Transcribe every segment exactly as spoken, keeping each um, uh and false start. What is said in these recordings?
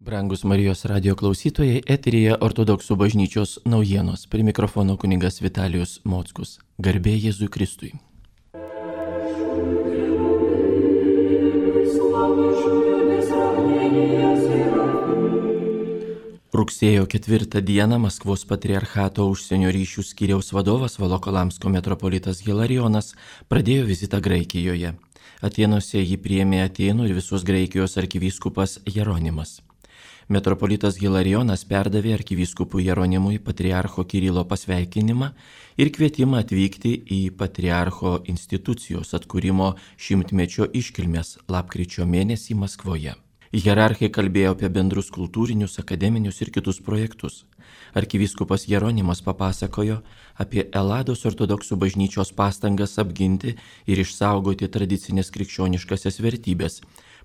Brangus Marijos radio klausytojai, eteryje Ortodoksų bažnyčios naujienos. Prie mikrofono kunigas Vitalijus Mockus. Garbė Jėzui Kristui. Rugsėjo ketvirtą dieną Maskvos patriarchato užsienio ryšių skyriaus vadovas Volokolamsko metropolitas Hilarijonas pradėjo vizitą Graikijoje. Atėnuose jį priėmė Atėnų ir visos Graikijos arkivyskupas Jeronimas. Metropolitas Hilarijonas perdavė arkivyskupui Jeronimui patriarcho Kirilo pasveikinimą ir kvietimą atvykti į patriarcho institucijos atkūrimo šimtmečio iškilmes lapkričio mėnesį Maskvoje. Hierarchai kalbėjo apie bendrus kultūrinius, akademinius ir kitus projektus. Arkivyskupas Jeronimas papasakojo apie Elados ortodoksų bažnyčios pastangas apginti ir išsaugoti tradicinės krikščioniškasias vertybės.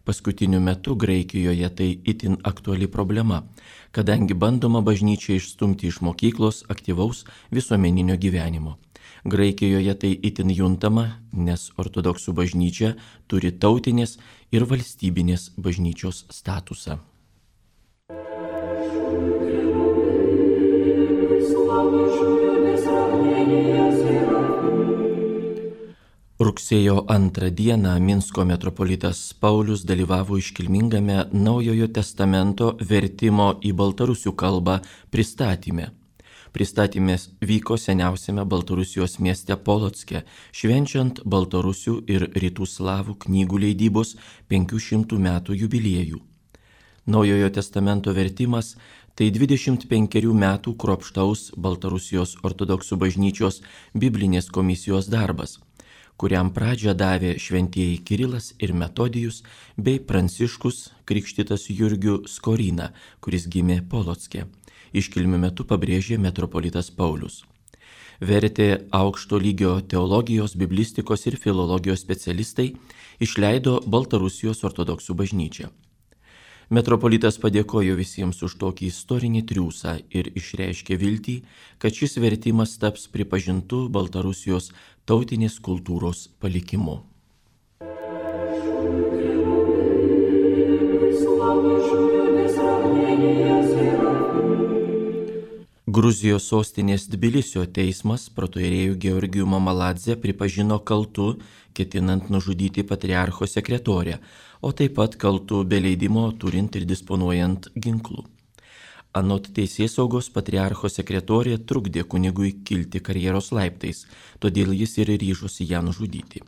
Paskutiniu metu Graikijoje tai itin aktuali problema, kadangi bandoma bažnyčią išstumti iš mokyklos aktyvaus visuomeninio gyvenimo. Graikijoje tai itin juntama, nes ortodoksų bažnyčia turi tautinės ir valstybinės bažnyčios statusą. Rugsėjo antrą dieną Minsko metropolitas Paulius dalyvavo iškilmingame Naujojo testamento vertimo į baltarusių kalbą pristatyme. Pristatymas vyko seniausiame Baltarusijos mieste Polocke, švenčiant baltarusių ir rytų slavų knygų leidybos penkių šimtų metų jubiliejų. Naujojo testamento vertimas tai dvidešimt penkerių metų kruopštaus Baltarusijos ortodoksų bažnyčios biblinės komisijos darbas, kuriam pradžią davė šventieji Kirilas ir Metodijus bei Pranciškus krikštytas Jurgiu Skorina, kuris gimė Polocke. Iškilmių metu pabrėžė metropolitas Paulius. Vertė aukšto lygio teologijos, biblistikos ir filologijos specialistai, išleido Baltarusijos ortodoksų bažnyčią. Metropolitas padėkojo visiems už tokį istorinį triūsą ir išreiškė viltį, kad šis vertimas taps pripažintų Baltarusijos tautinės kultūros palikimu. Gruzijos sostinės Tbilisio teismas protoierėjų Georgijų Mamaladzę pripažino kaltu, ketinant nužudyti patriarcho sekretorę, o taip pat kaltu be leidimo turint ir disponuojant ginklų. Anot teisėsaugos patriarcho sekretorė trukdė kunigui kilti karjeros laiptais, todėl jis ir ryžosi ją nužudyti.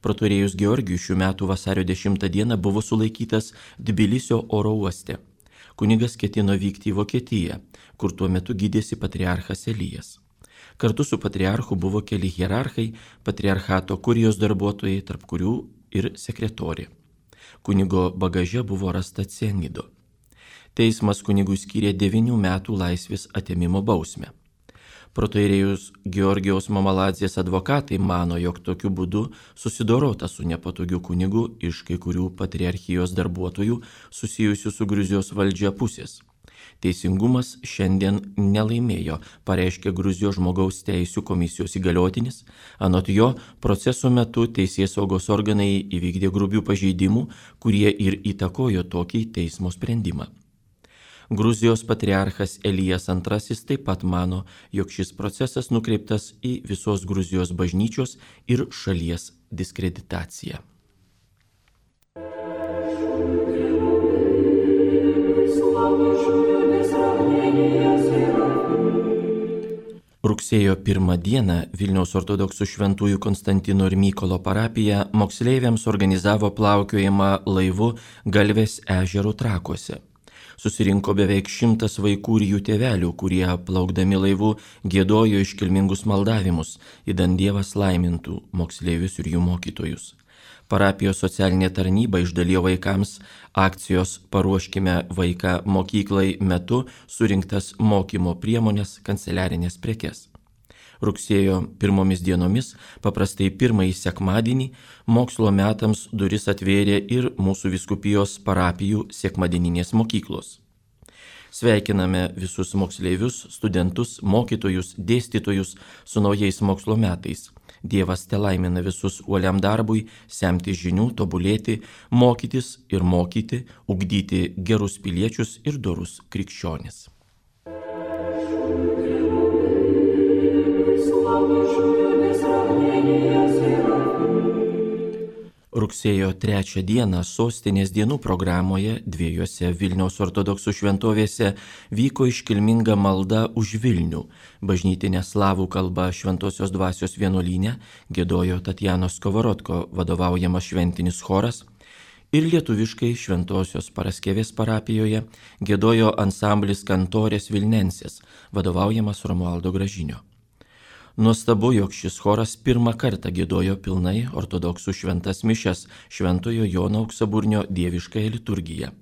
Protoierėjus Georgijus šių metų vasario dešimtą dieną buvo sulaikytas Tbilisio oro uoste. Kunigas ketino vykti į Vokietiją, kur tuo metu gydėsi patriarchas Elijas. Kartu su patriarchu buvo keli hierarchai, patriarchato kurijos darbuotojai, tarp kurių ir sekretorė. Kunigo bagaže buvo rasta cianido. Teismas kunigui skyrė devynių metų laisvės atėmimo bausmę. Protoierėjus Georgijaus Mamaladzės advokatai mano, jog tokiu būdu susidorota su nepatogiu kunigu iš kai kurių patriarchijos darbuotojų susijusių su Gruzijos valdžia pusės. Teisingumas šiandien nelaimėjo, pareiškė Gruzijos žmogaus teisių komisijos įgaliotinis. Anot jo, proceso metu teisėsaugos organai įvykdė grubių pažeidimų, kurie ir įtakojo tokį teismo sprendimą. Gruzijos patriarchas Elijas antrasis taip pat mano, jog šis procesas nukreiptas į visos Gruzijos bažnyčios ir šalies diskreditaciją. Rugsėjo pirmą dieną Vilniaus ortodoksų šventųjų Konstantino ir Mykolo parapija moksleiviams organizavo plaukiojimą laivu Galvės ežero Trakuose. Susirinko beveik šimtas vaikų ir jų tėvelių, kurie plaukdami laivu giedojo iškilmingus maldavimus, idant Dievas laimintų moksleivius ir jų mokytojus. Parapijos socialinė tarnyba išdalijo vaikams akcijos Paruoškime vaiką mokyklai metu surinktas mokymo priemonės, kanceliarinės prekes. Rugsėjo pirmomis dienomis, paprastai pirmąjį sekmadienį, mokslo metams duris atvėrė ir mūsų vyskupijos parapijų sekmadieninės mokyklos. Sveikiname visus moksleivius, studentus, mokytojus, dėstytojus su naujais mokslo metais. Dievas telaimina visus uoliam darbui, semti žinių, tobulėti, mokytis ir mokyti, ugdyti gerus piliečius ir dorus krikščionis. Rugsėjo trečią dieną sostinės dienų programoje dviejose Vilniaus ortodoksų šventovėse vyko iškilminga malda už Vilnių. Bažnytinė slavų kalba Šventosios dvasios vienuolyne giedojo Tatjanos Kovorodko vadovaujamas šventinis choras ir lietuviškai Šventosios Paraskevės parapijoje giedojo ansamblis Kantorės Vilnensės vadovaujamas Romualdo Gražinio. Nuostabu, jog šis choras pirmą kartą giedojo pilnai ortodoksų šventas mišias Šventojo Jono Auksaburnio dieviškąją liturgiją.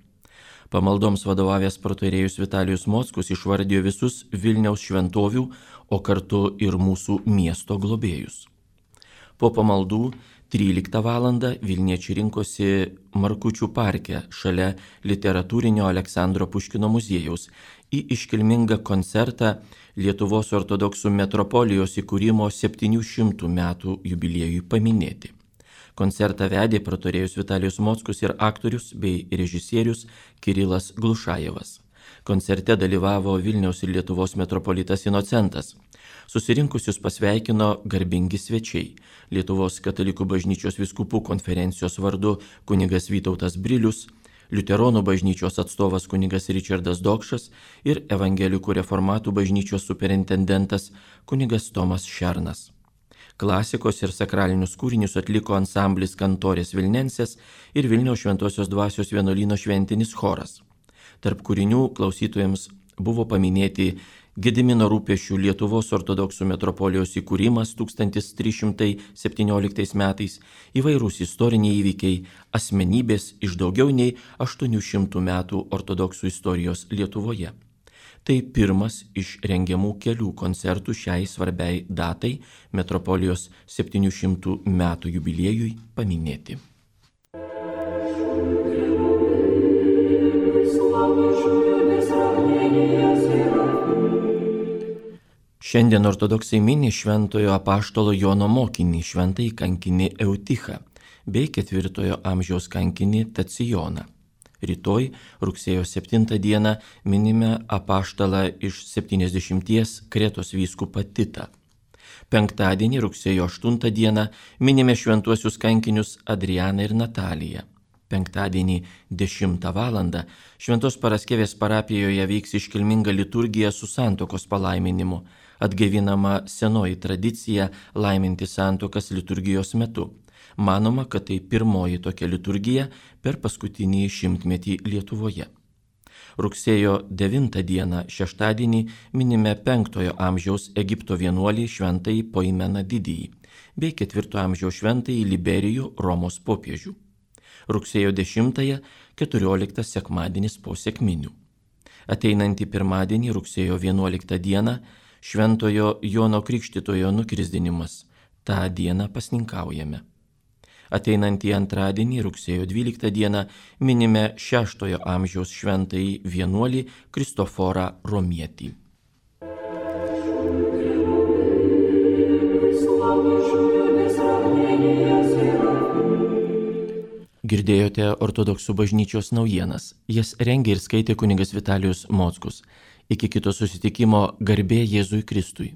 Pamaldoms vadovavęs protoierėjus Vitalijus Mockus išvardijo visus Vilniaus šventovių, o kartu ir mūsų miesto globėjus. Po pamaldų tryliktą valandą Vilniečiai rinkosi Markučių parke šalia literatūrinio Aleksandro Puškino muziejaus į iškilmingą koncertą Lietuvos ortodoksų metropolijos įkūrimo septynių šimtų metų jubiliejui paminėti. Koncertą vedė protoierėjus Vitalijus Mockus ir aktorius bei režisierius Kirilas Glušajevas. Koncerte dalyvavo Vilniaus ir Lietuvos metropolitas Inocentas. Susirinkusius pasveikino garbingi svečiai. Lietuvos katalikų bažnyčios vyskupų konferencijos vardu kunigas Vytautas Brilius, Liuteronų bažnyčios atstovas kunigas Ričardas Dokšas ir evangelikų reformatų bažnyčios superintendentas kunigas Tomas Šernas. Klasikos ir sakralinius kūrinius atliko ansamblis Kantorės Vilnensės ir Vilniaus Šventosios dvasios vienuolyno šventinis choras. Tarp kūrinių klausytojams buvo paminėti Gedimino Rūpesčių Lietuvos ortodoksų metropolijos įkūrimas tūkstantis trys šimtai septynioliktais metais, įvairūs istoriniai įvykiai, asmenybės iš daugiau nei aštuonių šimtų metų ortodoksų istorijos Lietuvoje. Tai pirmas iš rengiamų kelių koncertų šiai svarbiai datai metropolijos septynių šimtų metų jubiliejui paminėti. Šiandien ortodoksai mini šventojo apaštalo Jono mokinį, šventąjį kankinį Eutichą, bei ketvirtojo amžiaus kankinį Tacijoną. Rytoj, rugsėjo septintą dieną, minime apaštalą iš septyniasdešimties Kretos vyskupą Titą. Penktadienį, rugsėjo aštuntą dieną, minime šventuosius kankinius Adrianą ir Nataliją. Penktadienį dešimtą valandą Šventos Paraskevės parapijoje vyks iškilminga liturgija su santuokos palaiminimu, atgaivinama senoji tradicija laiminti santuokas liturgijos metu. Manoma, kad tai pirmoji tokia liturgija per paskutinį šimtmetį Lietuvoje. Rugsėjo devintą dieną šeštadienį minime penktojo amžiaus Egipto vienuolį šventąjį Poimeną Didįjį bei ketvirto amžiaus šventąjį Liberijų Romos popiežių. Rugsėjo dešimtąją keturioliktas sekmadienis po sekminių. Ateinantį pirmadienį rugsėjo vienuoliktą dieną Šventojo Jono Krikštytojo nukrisdinimas. Ta dieną pasninkaujame. Ateinantį antradienį rugsėjo dvyliktą dieną minime šeštojo amžiaus šventąjį vienuolį Kristoforą Romietį. Girdėjote ortodoksų bažnyčios naujienas. Jas rengė ir skaitė kunigas Vitalijus Mockus. Iki kito susitikimo, garbė Jėzui Kristui.